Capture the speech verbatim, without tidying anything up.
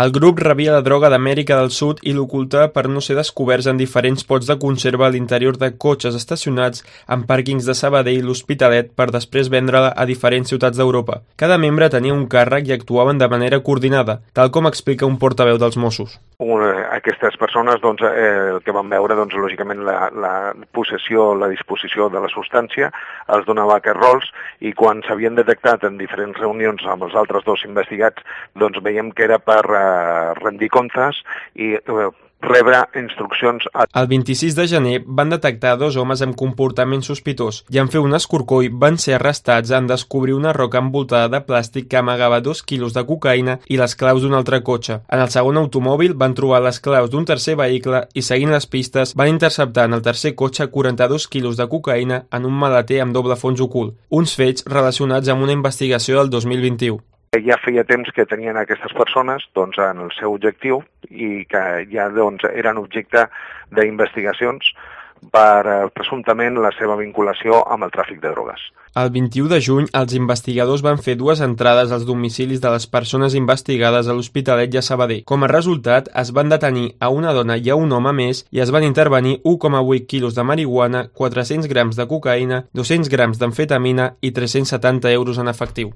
El grup rebia la droga d'Amèrica del Sud i l'ocultava per no ser descoberts en diferents pots de conserva a l'interior de cotxes estacionats en pàrquings de Sabadell i l'Hospitalet per després vendre-la a diferents ciutats d'Europa. Cada membre tenia un càrrec i actuaven de manera coordinada, tal com explica un portaveu dels Mossos. Aquestes persones, doncs, eh, el que van veure, doncs, lògicament, la, la possessió, la disposició de la substància, els donava aquests rols, i quan s'havien detectat en diferents reunions amb els altres dos investigats, doncs veiem que era per eh, rendir comptes i eh, rebre instruccions. A... El vint-i-sis de gener van detectar dos homes amb comportament sospitós i en fer un escorcoll van ser arrestats en descobrir una roca envoltada de plàstic que amagava dos quilos de cocaïna i les claus d'un altre cotxe. En el segon automòbil van trobar les claus d'un tercer vehicle i, seguint les pistes, van interceptar en el tercer cotxe quaranta-dos quilos de cocaïna en un maleter amb doble fons ocult, uns fets relacionats amb una investigació del dos mil vint-i-u. Ja feia temps que tenien aquestes persones doncs, en el seu objectiu i que ja doncs, eren objecte d'investigacions per eh, presumptament la seva vinculació amb el tràfic de drogues. El vint-i-u de juny, els investigadors van fer dues entrades als domicilis de les persones investigades a l'Hospitalet i a Sabadell. Com a resultat, es van detenir a una dona i a un home més i es van intervenir u coma vuit quilos de marihuana, quatre-cents grams de cocaïna, dos-cents grams d'amfetamina i tres-cents setanta euros en efectiu.